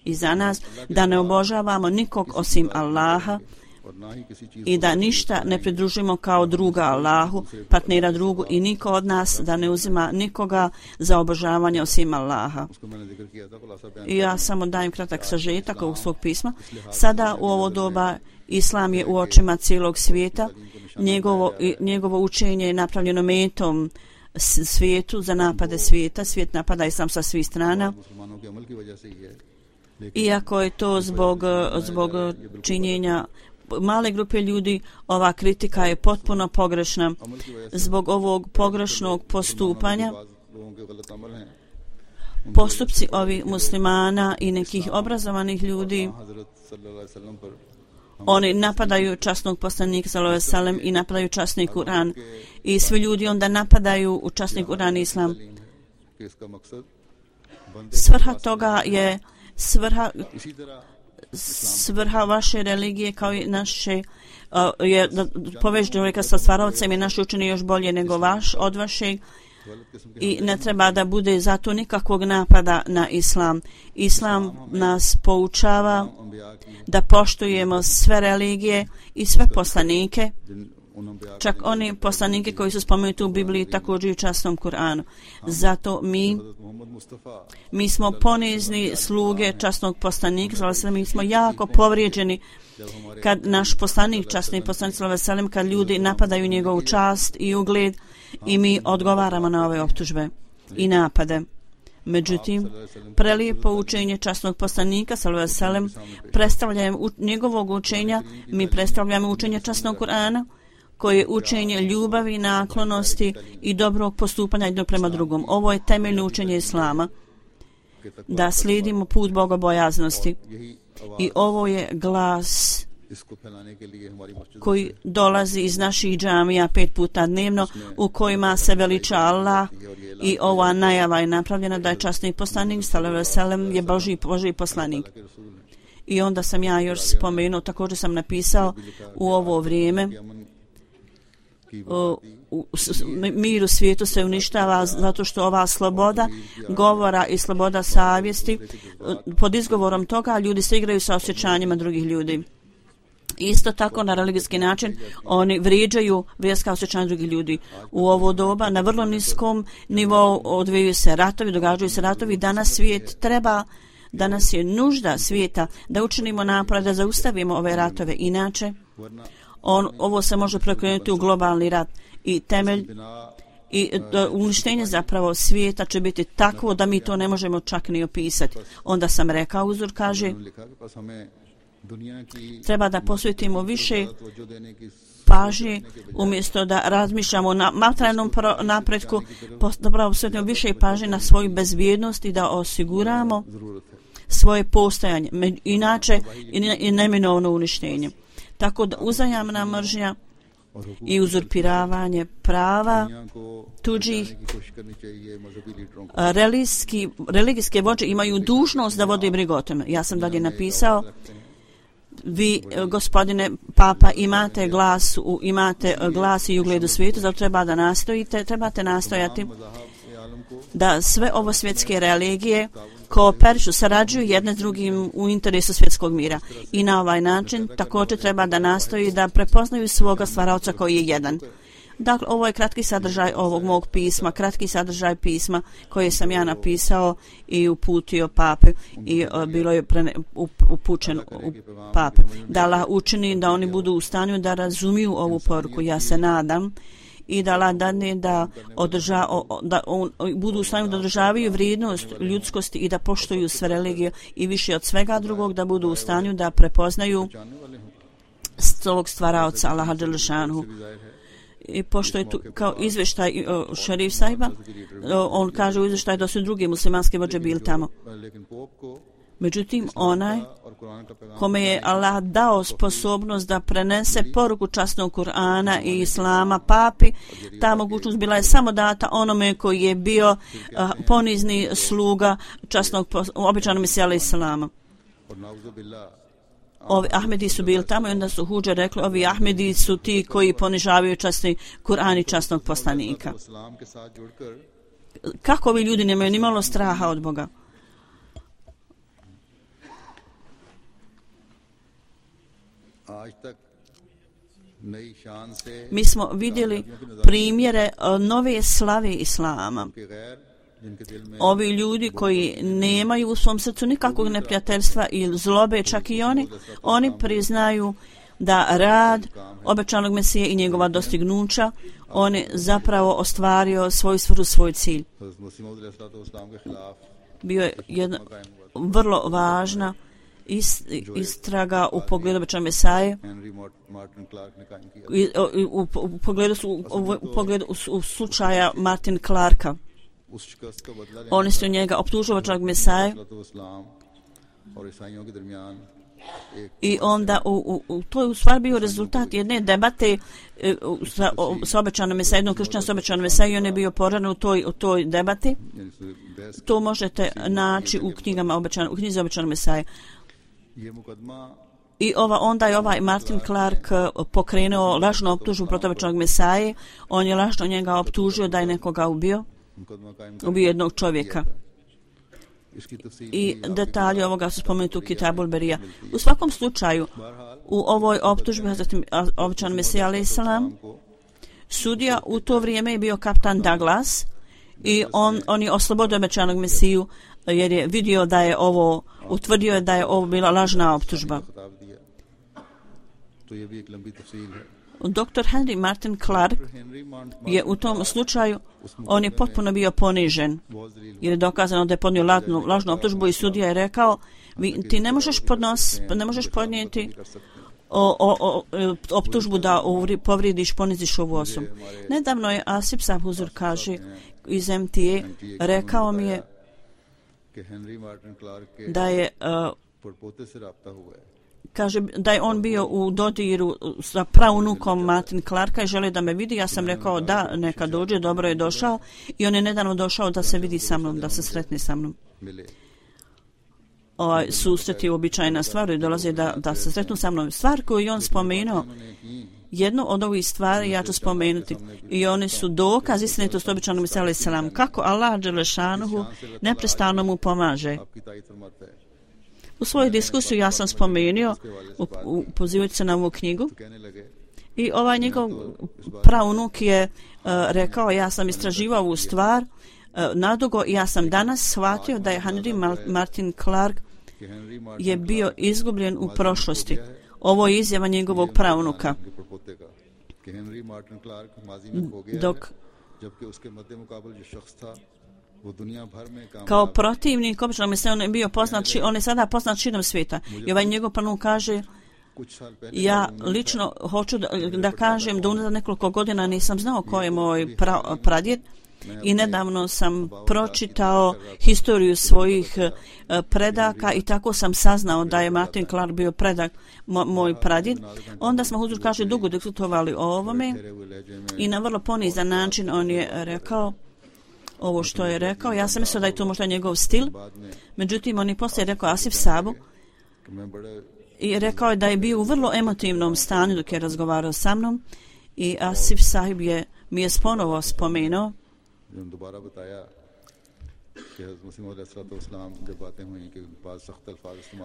i za nas, da ne obožavamo nikog osim Allaha i da ništa ne pridružimo kao druga Allahu, partnera drugu i niko od nas da ne uzima nikoga za obožavanje osim Allaha. I ja samo dajem kratak sažetak ovog svog pisma. Sada u ovo doba Islam je u očima cijelog svijeta. Njegovo, njegovo učenje je napravljeno metom svijetu za napade svijeta. Svijet napada Islam sa svih strana. Iako je to zbog, zbog činjenja male grupe ljudi, ova kritika je potpuno pogrešna. Zbog ovog pogrešnog postupanja postupci ovih muslimana i nekih obrazovanih ljudi, oni napadaju časnog poslanika sallallahu alejhi ve sellem i napadaju časni Kur'an i svi ljudi onda napadaju u časni Kur'an i Islam. Svrha toga je svrha svrha vaše religije kao i naše uh, je da poveže čovjeka sa stvaravcem i naš učini još bolje nego vaš od vašeg i ne treba da bude zato nikakvog napada na Islam. Islam nas poučava da poštujemo sve religije i sve poslanike, čak oni poslanike koji su spomenuti u Bibliji također i u časnom Kur'anu. Zato mi mi smo ponizni sluge časnog poslanika, mi smo jako povrijeđeni kad naš poslanik, časni poslanik sallallahu alejhi ve sellem, kad ljudi napadaju njegovu čast i ugled i mi odgovaramo na ove optužbe i napade. Međutim, prelijepo učenje časnog poslanika sallallahu alejhi ve sellem predstavljamo njegovog učenja, mi predstavljamo učenje časnog Kur'ana, koje je učenje ljubavi, naklonosti i dobrog postupanja jednog prema drugom. Ovo je temeljno učenje Islama, da slijedimo put bogobojaznosti. I ovo je glas koji dolazi iz naših džamija pet puta dnevno, u kojima se veliča Allah i ova najava je napravljena da je časni poslanik sallallahu alejhi ve sellem je Božji, Božji poslanik. I onda sam ja još spomenuo, također sam napisao u ovo vrijeme, U, u, mir u svijetu se uništava zato što ova sloboda govora i sloboda savjesti, pod izgovorom toga ljudi se igraju sa osjećanjima drugih ljudi. Isto tako na religijski način oni vrijeđaju vjerska osjećanja drugih ljudi. U ovo doba na vrlo niskom nivou odvijaju se ratovi, događaju se ratovi. Danas svijet treba, danas je nužda svijeta da učinimo napor da zaustavimo ove ratove. Inače, On, ovo se može prekrenuti u globalni rat i temelj i uništenje zapravo svijeta će biti takvo da mi to ne možemo čak ni opisati. Onda sam rekao, Uzur kaže, treba da posvetimo više pažnje, umjesto da razmišljamo na materijalnom napretku, da posvetimo više pažnje na svoju bezbjednost i da osiguramo svoje postojanje, inače i neminovno uništenje. Tako da uzajamna mržnja i uzurpiravanje prava tuđih religijski, religijske vođe imaju dužnost da vode brigu o tome. Ja sam dalje napisao, vi, gospodine Papa, imate glas, u, imate glas i ugled u svijetu, zato treba da nastojite, trebate nastojati da sve ovo svjetske religije kooperišu, sarađuju jedne s drugim u interesu svjetskog mira. I na ovaj način također treba da nastoji da prepoznaju svoga stvaraoca koji je jedan. Dakle, ovo je kratki sadržaj ovog mog pisma, kratki sadržaj pisma koje sam ja napisao i uputio pape i uh, bilo je prene, up, upućen u pape. Da Allah učini da oni budu u stanju da razumiju ovu poruku. Ja se nadam i da Allah dadne da, održa, da on, budu u stanju da održavaju vrijednost ljudskosti i da poštuju sve religije i više od svega drugog da budu u stanju da prepoznaju ovog stvaraoca Allaha dželešanu. I pošto je tu kao izvještaj uh, šerif sahiba, uh, on kaže u izvještaj da su drugi muslimanski vođe bili tamo. Međutim, onaj kome je Allah dao sposobnost da prenese poruku časnog Kur'ana i Islama papi, ta mogućnost bila je samo data onome koji je bio uh, ponizni sluga časnog običanog Mesija alejhi selama. Ovi Ahmedi su bili tamo i onda su huđe rekli, ovi Ahmedi su ti koji ponižavaju časni Kur'an i časnog poslanika. Kako ovi ljudi nemaju ni malo straha od Boga? Mi smo vidjeli primjere nove slave Islama. Ovi ljudi koji nemaju u svom srcu nikakvog neprijateljstva ili zlobe, čak i oni, oni priznaju da rad obećanog Mesije i njegova dostignuća, on je zapravo ostvario svoju svrhu, svoj cilj. Bio je jedna vrlo važna istraga u pogledu obećanog Mesaje, u, u, u pogledu, u, u, pogledu u, u slučaja Martin Clarka. Oni su njega optužili obećanog Mesaje i onda u, u, u, to je u stvari bio rezultat jedne debate uh, sa, o, sa obećanom Mesajom, jednog kršćana sa obećanom Mesajom i on je bio poražen u toj, u toj debati. To možete naći u knjigama obećan, u knjizi obećanog Mesaje. I ova, onda je ovaj Martin Clark pokrenuo lažnu optužbu protiv obećanog Mesaje. On je lažno njega optužio da je nekoga ubio. Ubio jednog čovjeka. I detalji ovoga su spomenuti u Kitabul Berija. U svakom slučaju, u ovoj optužbi obećan Mesija alejhi selam, sudija u to vrijeme je bio kapitan Douglas i on, on je oslobodio obećanog Mesiju jer je vidio da je ovo, utvrdio je da je ovo bila lažna optužba. doktor Henry Martin Clark je u tom slučaju, on je potpuno bio ponižen jer je dokazano da je podnio lažnu, lažnu optužbu i sudija je rekao, vi, ti ne možeš, podnos, ne možeš podnijeti o, o, o, optužbu da uvri, povridiš, poniziš ovu osobu. Nedavno je Asif Sabhuzur, kaže, iz M T A, rekao mi je da je uh, kaže da je on bio u dodiru sa praunukom Martin Clarka i žele da me vidi. Ja sam rekao da, neka dođe, dobro je došao i on je nedavno došao da se vidi sa mnom, da se sretne sa mnom. Ovaj susret je uobičajena stvar i dolaze da, da se sretnu sa mnom. Stvar koju je on spomenuo, jednu od ovih stvari ja ću spomenuti i one su dokaz istinitosti obećanog Mesija alejhi selam. Kako Allah dželešanuhu neprestano mu pomaže. U svojoj diskusiji ja sam spomenuo, pozivajući se na ovu knjigu, i ovaj njegov praunuk je uh, rekao, ja sam istraživao ovu stvar uh, nadugo i ja sam danas shvatio da je Henry Martin Clark je bio izgubljen u prošlosti. Ovo je izjava njegovog praunuka. Dok kao protivnik običnog Mesija on je bio poznat, on je sada poznat širom svijeta. I ovaj njegov pranu kaže Ja lično hoću da, da kažem da unazad nekoliko godina nisam znao ko je moj pra, pradjed i nedavno sam pročitao historiju svojih predaka i tako sam saznao da je Martin Clark bio predak mo, moj pradjed. Onda smo, Huzur kaže, dugo diskutovali o ovome i na vrlo ponizan način on je rekao ovo što je rekao. Ja sam mislio da je to možda njegov stil, međutim on je poslije rekao Asif Sabu i rekao je da je bio u vrlo emotivnom stanju dok je razgovarao sa mnom i Asif Sahib je, mi je ponovo spomenuo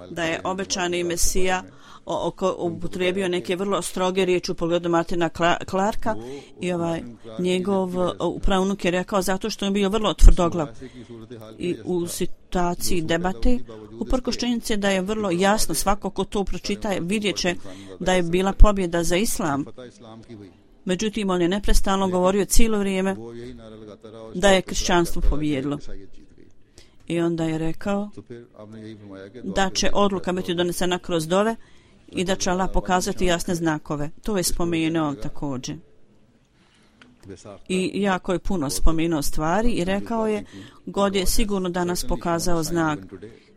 da je obećani Mesija upotrijebio neke vrlo stroge riječi u pogledu Martina Clarka i ovaj njegov pravnuk je rekao zato što je bio vrlo tvrdoglav i u situaciji debate uprkos činjenici da je vrlo jasno, svako ko to pročita vidjet će da je bila pobjeda za islam. Međutim, on je neprestano govorio cijelo vrijeme da je kršćanstvo pobjedilo. I onda je rekao da će odluka biti donesena kroz dove i da će Allah pokazati jasne znakove. To je spomenuo također. I jako je puno spomenuo stvari i rekao je God je sigurno danas pokazao znak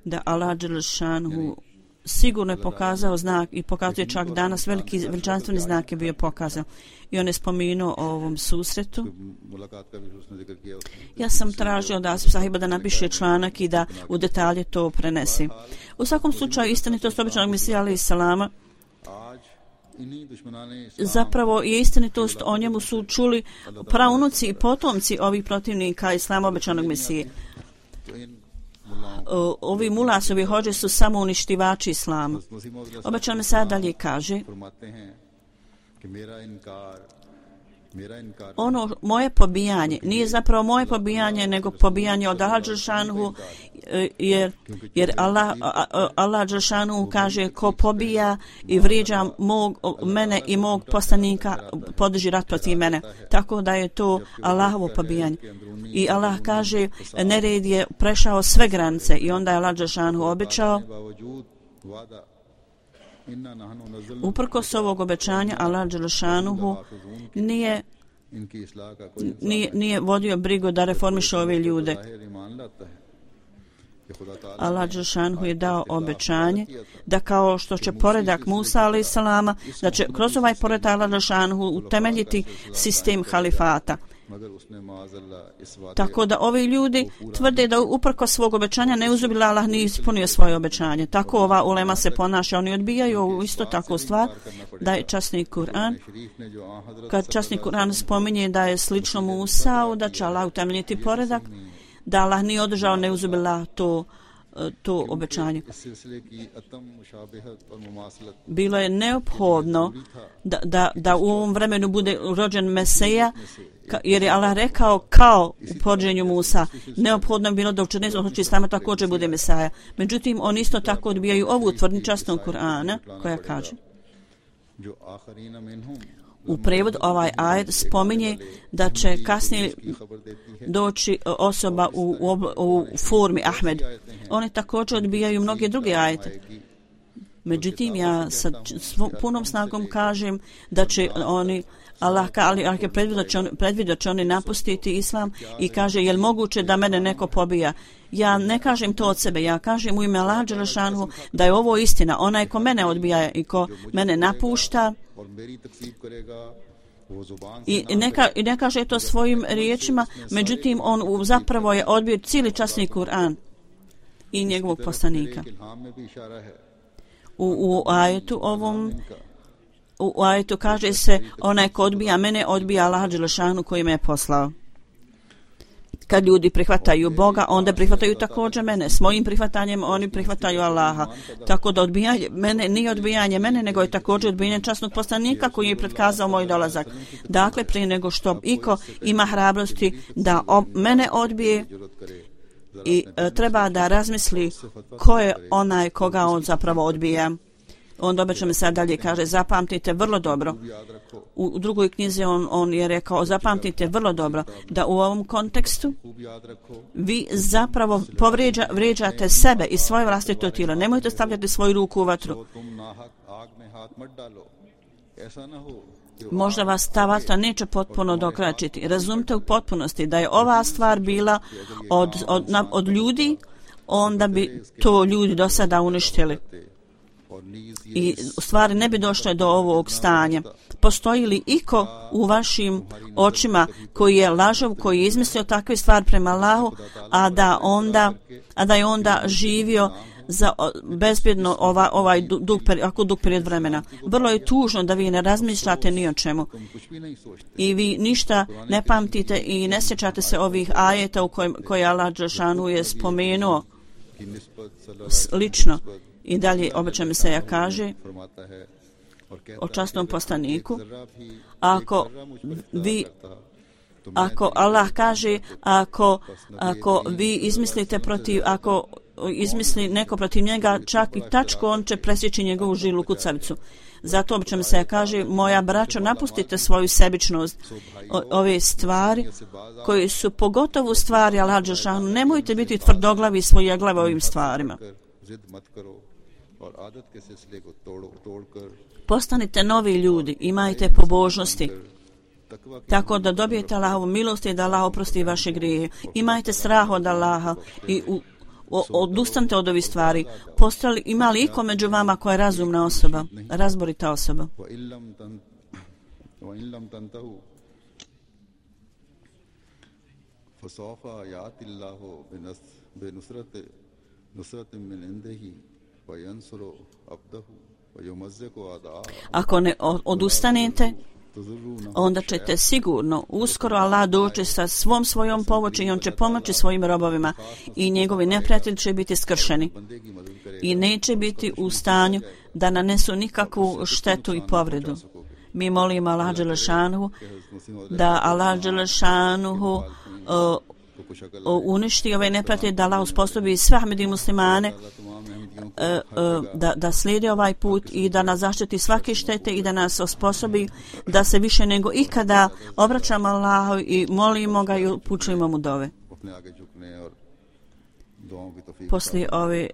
da Allah Đelešanu sigurno je pokazao znak i pokazuje čak danas veliki veličanstveni znak je bio pokazan. I on je spomenuo o ovom susretu. Ja sam tražio da Asif Sahiba da napiše članak i da u detalje to prenesi. U svakom slučaju istinitost obećanog Mesija alejhi salama zapravo je istinitost, o njemu su čuli praunuci i potomci ovih protivnika islama obećanog Mesije. Ovi mulasovi hođe su samo uništivači islama. Obećan Mesija dalje kaže ono moje pobijanje nije zapravo moje pobijanje nego pobijanje od Allah Đelešanu jer, jer Allah, Allah Đelešanu kaže ko pobija i vrijeđa mog, mene i mog poslanika podrži rat protiv mene, tako da je to Allahovo pobijanje. I Allah kaže nered je prešao sve granice i onda je Allah Đelešanu obećao uprkos ovog obećanja Allah Đelešanuhu nije, nije, nije vodio brigu da reformiše ove ljude. Allah Đelešanuhu je dao obećanje da kao što će poredak Musa alejhi salama, da će kroz ovaj poredak Allah Đelešanuhu utemeljiti sistem halifata. Tako da ovi ljudi tvrde da uprkos svog obećanja neuzubila Allah nije ispunio svoje obećanje. Tako ova ulema se ponaša, oni odbijaju isto tako stvar da je časni Kur'an, kad časni Kur'an spominje da je slično Musau, da će Allah utemeljiti poredak, da Allah nije održao neuzubila to to obećanje. Bilo je neophodno da, da, da u ovom vremenu bude rođen Mesija, jer je Allah rekao kao u poređenju Musa, neophodno je bilo da u četrnaestom stoljeću islama također bude Mesaja. Međutim, oni isto tako odbijaju ovu tvrdnju časnog Kur'ana koja kaže u prevodu ovaj ajet spominje da će kasnije doći osoba u, u, u formi Ahmed. Oni također odbijaju mnoge druge ajete. Međutim, ja sa punom snagom kažem da će oni Allah, ali Allah je predvidio da će, on, predvidio će oni napustiti islam i kaže je li moguće da mene neko pobija. Ja ne kažem to od sebe, ja kažem u ime Allah Đelešanu da je ovo istina. Onaj ko mene odbija i ko mene napušta i neka, i ne kaže to svojim riječima, međutim on zapravo je odbio cijeli časni Kur'an i njegovog poslanika. U, u ajetu ovom u ajetu kaže se onaj ko odbija mene odbija Allah Đelešanu koji me je poslao. Kad ljudi prihvataju Boga, onda prihvataju također mene. S mojim prihvatanjem oni prihvataju Allaha. Tako da odbijanje mene nije odbijanje mene, nego je također odbijanje časnog poslanika koji je predkazao moj dolazak. Dakle, prije nego što iko ima hrabrosti da ob, mene odbije i e, treba da razmisli ko je onaj koga on zapravo odbija. Onda obećam mi sad dalje kaže, zapamtite vrlo dobro. U, u drugoj knjizi on, on je rekao, zapamtite vrlo dobro da u ovom kontekstu vi zapravo povređa, vređate sebe i svoje vlastito tijelo. Nemojte stavljati svoju ruku u vatru. Možda vas ta vatra neće potpuno dokračiti. Razumite u potpunosti da je ova stvar bila od, od, od ljudi, onda bi to ljudi do sada uništili. I u stvari ne bi došlo do ovog stanja. Postoji li iko u vašim očima koji je lažov, koji je izmislio takve stvari prema Allahu, a da onda, a da je onda živio za bezbjedno ova, ovaj dug, ako dug period vremena. Vrlo je tužno da vi ne razmišljate ni o čemu. I vi ništa ne pamtite i ne sjećate se ovih ajeta u kojim, koje Allah dželešanu je spomenuo lično. I dalje obećam se ja kaže o časnom poslaniku, ako vi ako Allah kaže ako, ako vi izmislite protiv ako izmisli neko protiv njega čak i tačku, on će presjeći njegovu žilu kucavicu. Zato obično se ja kaže, moja braćo, napustite svoju sebičnost, o, ove stvari koje su pogotovo stvari Allah dželešanu, nemojte biti tvrdoglavi i svojeglavi ovim stvarima. Postanite novi ljudi, imajte pobožnosti, tako da dobijete Allahovu milost i da Allah oprosti vaše grijehe. Imajte strah od Allaha i u, o, odustanite od ovih stvari. Postali, ima li iko među vama koja je razumna osoba, razborita osoba? Ako ne odustanete, onda ćete sigurno uskoro Allah doći sa svom svojom pomoći i on će pomoći svojim robovima i njegovi neprijatelji će biti skršeni i neće biti u stanju da nanesu nikakvu štetu i povredu. Mi molimo Allah dželešanuhu da Allah dželešanuhu uh, uništi ove neprijatelje, da Allah uspostavi sve Ahmedi muslimane da, da slijedi ovaj put i da nas zaštiti svake štete i da nas osposobi da se više nego ikada obraćamo Allahu i molimo ga i upućujemo mu dove. Poslije ove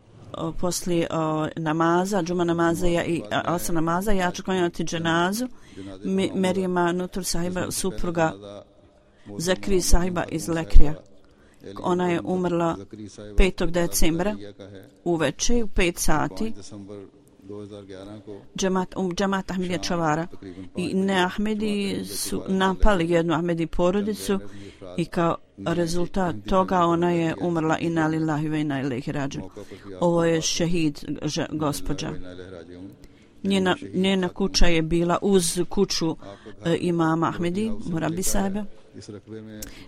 poslije o, namaza, džuma namaza ja, i asa namaza, ja ću klanjati dženazu Merijema Nutur sahiba, supruga Zakri sahiba iz Lekrija. Ona je umrla petog decembra uveče u pet sati. Džemat, um, džemat Ahmedija Čavara i ne Ahmedi su napali jednu Ahmedi porodicu i kao rezultat toga ona je umrla inna lillahi ve inna ilaihi rađiun. Ovo je šehid gospođa. Njena, njena kuća je bila uz kuću e, imama Ahmedi Murabi sahiba.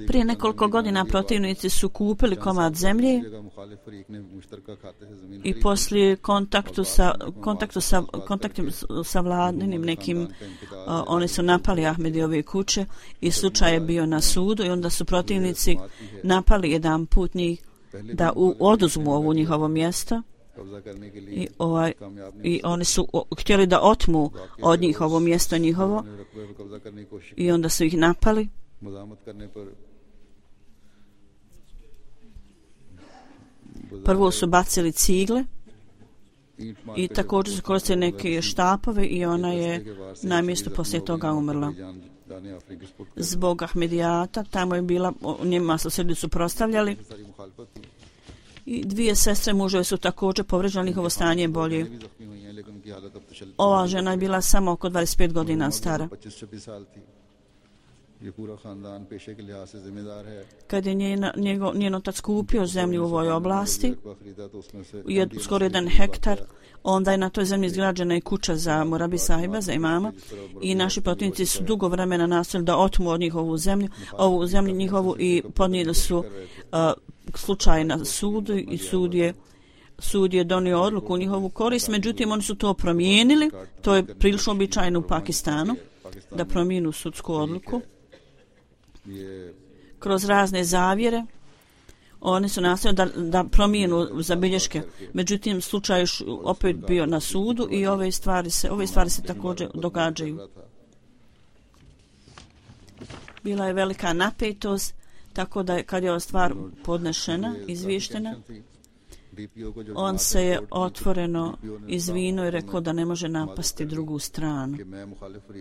Prije nekoliko godina protivnici su kupili komad zemlje i poslije kontaktu sa, kontaktu sa, kontaktim sa vladinim nekim, uh, oni su napali Ahmedijove kuće i slučaj je bio na sudu i onda su protivnici napali jedan put njih da u, oduzmu ovu njihovo mjesto i, ovaj, i oni su o, htjeli da otmu od njih ovo mjesto njihovo i onda su ih napali. Prvo su bacili cigle i također su koristili neke štapove i ona je na mjestu poslije toga umrla. Zbog Ahmedijata, tamo je bila, njima su se suprotstavljali i dvije sestre muževe su također povređali, njihovo stanje je bolje. Ova žena je bila samo oko dvadeset pet godina stara. Kad je njena, njego, njen otac kupio zemlju u ovoj oblasti, je skoro jedan hektar, onda je na toj zemlji izgrađena i kuća za Murabi sahiba, za imama, i naši protivnici su dugo vremena nastavili da otmu od njih ovu zemlju, ovu zemlju njihovu i podnijeli su uh, slučaj na sudu i sud je, sud je donio odluku u njihovu korist, međutim oni su to promijenili, to je prilično običajno u Pakistanu, da promijenu sudsku odluku kroz razne zavjere. Oni su nastojali da, da promijenu zabilješke. Međutim, slučaj još opet bio na sudu i ove stvari se, ove stvari se također događaju. Bila je velika napetost, tako da je, kad je ova stvar podnešena, izvještena, on se je otvoreno izvinuo i rekao da ne može napasti drugu stranu.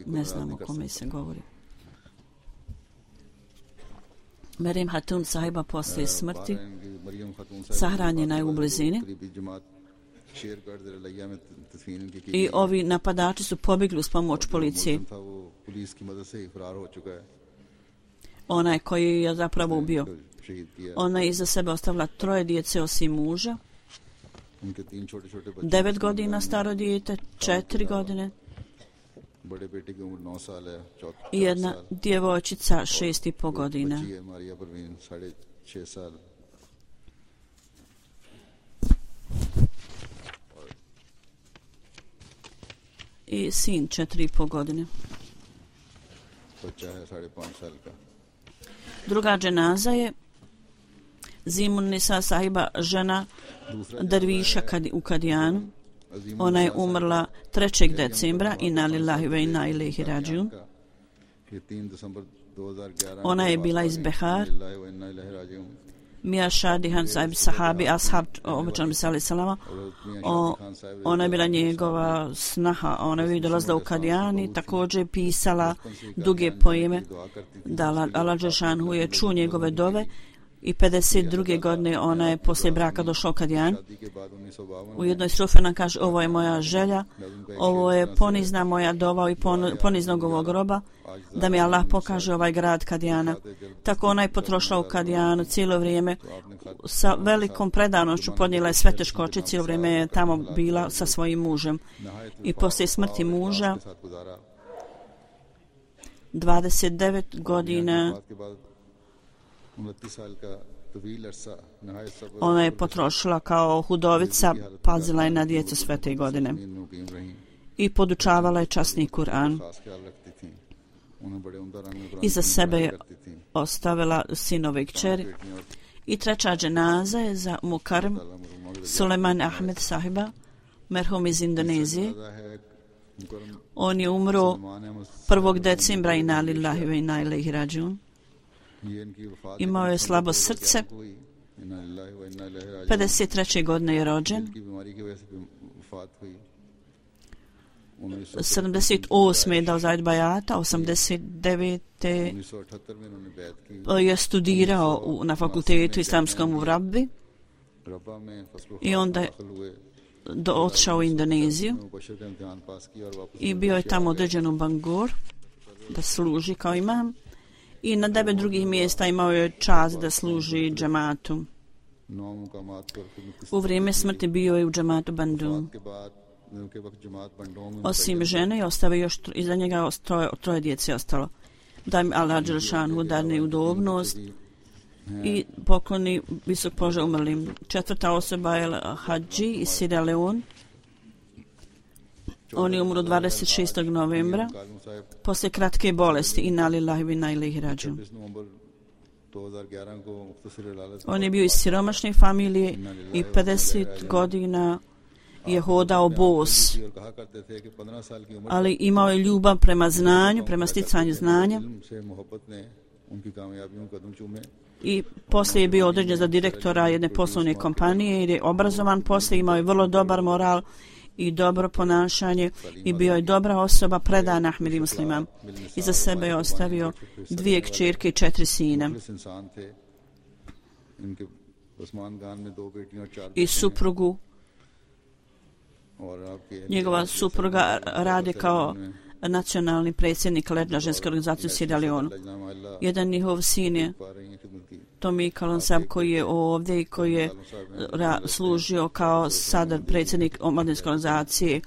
Ne znam o kome se govori. Merim Hatun sahiba poslije smrti sahranjena je u blizini i ovi napadači su pobjegli uz pomoć policije. Onaj koji je zapravo ubio. Ona je iza sebe ostavila troje djece osim muža, devet godina staro dijete, četiri godine i jedna djevojčica šest i po godina. I sin četiri i po godine. Druga dženaza je Zimun Nisa sahiba, žena derviša u Kadijanu. Ona je umrla trećeg decembra, inna lillahi ve inna ilaihi rađiun. Ona je bila iz Behar. Mija Šadihan sahib sahabi, ashab obećanom sallallahu salama. Ona je bila njegova snaha. Ona je dolazila u Kadijani, također pisala duge poeme. Da Allah Đelšanhu je čuo njegove dove. I pedeset druge godine ona je poslije braka došla u Kadijan. U jednoj strofi nam kaže: ovo je moja želja, ovo je ponizna moja dova i poniznog ovog groba, da mi Allah pokaže ovaj grad Kadijana. Tako ona je potrošla u Kadijanu cijelo vrijeme, sa velikom predanošću podnijela je sve teškoće, cijelo vrijeme je tamo bila sa svojim mužem. I poslije smrti muža, dvadeset devet godina, ona je potrošila kao hudovica, pazila je na djecu sve te godine i podučavala je časni Kur'an. Iza sebe je ostavila sinove i kćeri. I treća dženaza je za Mukarrem Suleiman Ahmed sahiba, merhum iz Indonezije. On je umro prvog decembra, inna lillahi ve inna ilaihi rađiun. Imao je slabo srce, pedeset treće godine je rođen, sedamdeset osme je dao zajd bajata, osamdeset devete je studirao u, na fakultetu islamskom u Rabbi i onda je do, odšao u Indoneziju i bio je tamo određen u Bangor da služi kao imam. I na devet drugih mjesta imao je čast da služi džematu. U vrijeme smrti bio je u džematu Bandung. Osim žene, ostavio još iza njega troje, troje djece ostalo. Da mi Allah Đelšanhu dadne udobnost i pokloni visok položaj umrlim. Četvrta osoba je Hadži iz Sierra Leone. On je umro dvadeset šestog novembra poslije kratke bolesti, inna lillahi ve inna ilaihi rađiun. On je bio iz siromašne familije i pedeset godina je hodao bos, ali imao je ljubav prema znanju, prema sticanju znanja i poslije je bio određen za direktora jedne poslovne kompanije jer je obrazovan, poslije imao je vrlo dobar moral i dobro ponašanje i bio je dobra osoba, predan Ahmedi muslima. Iza sebe je ostavio dvije kćerke i četiri sina. I suprugu. Njegova supruga radi kao nacionalni predsjednik Ledna ženske organizacije u Sierra Leone. Jedan njihov sin je Tomi Kalonsab koji je ovdje i koji je ra, služio kao sada predsjednik omladinske organizacije.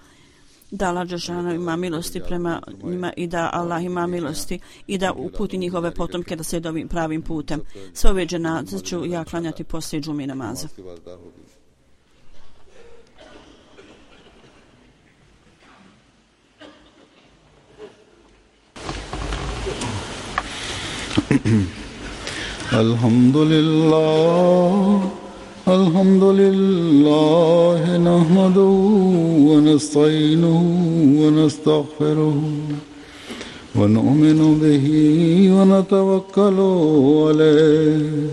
Da Allah Đelšanhu ima milosti prema njima i da Allah ima milosti i da uputi njihove potomke da se ovim pravim putem. Sve ove dženaze ću ja klanjati poslije džumi namaza. الحمد لله الحمد لله نحمده ونستعينه ونستغفره ونؤمن به ونتوكل عليه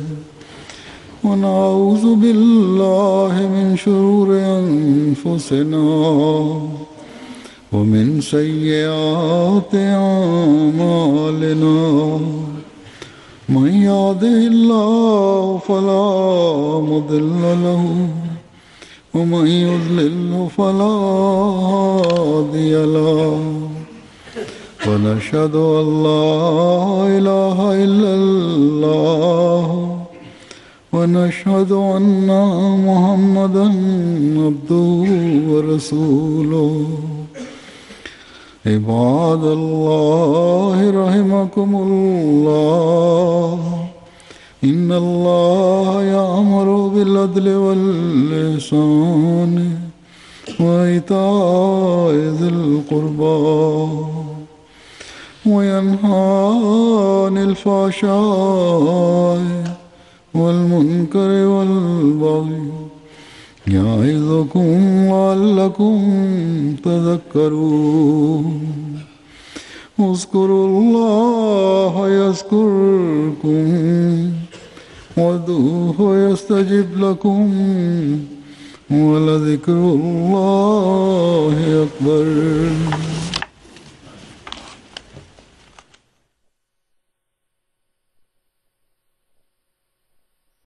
ونعوذ بالله من شرور أنفسنا ومن سيئات أعمالنا من يهده الله فلا مضل له ومن يضلل فلا هادي له ونشهد أن لا إله إلا الله ونشهد أن محمدا عبده ورسوله عباد الله رحمكم الله إن الله يأمر بالعدل والإحسان وإيتاء ذي القربى وينهى عن الفحشاء والمنكر والبغي يعظكم لعلكم تذكرون اذكروا الله يذكركم وادعوه يستجب لكم ولذكر الله أكبر.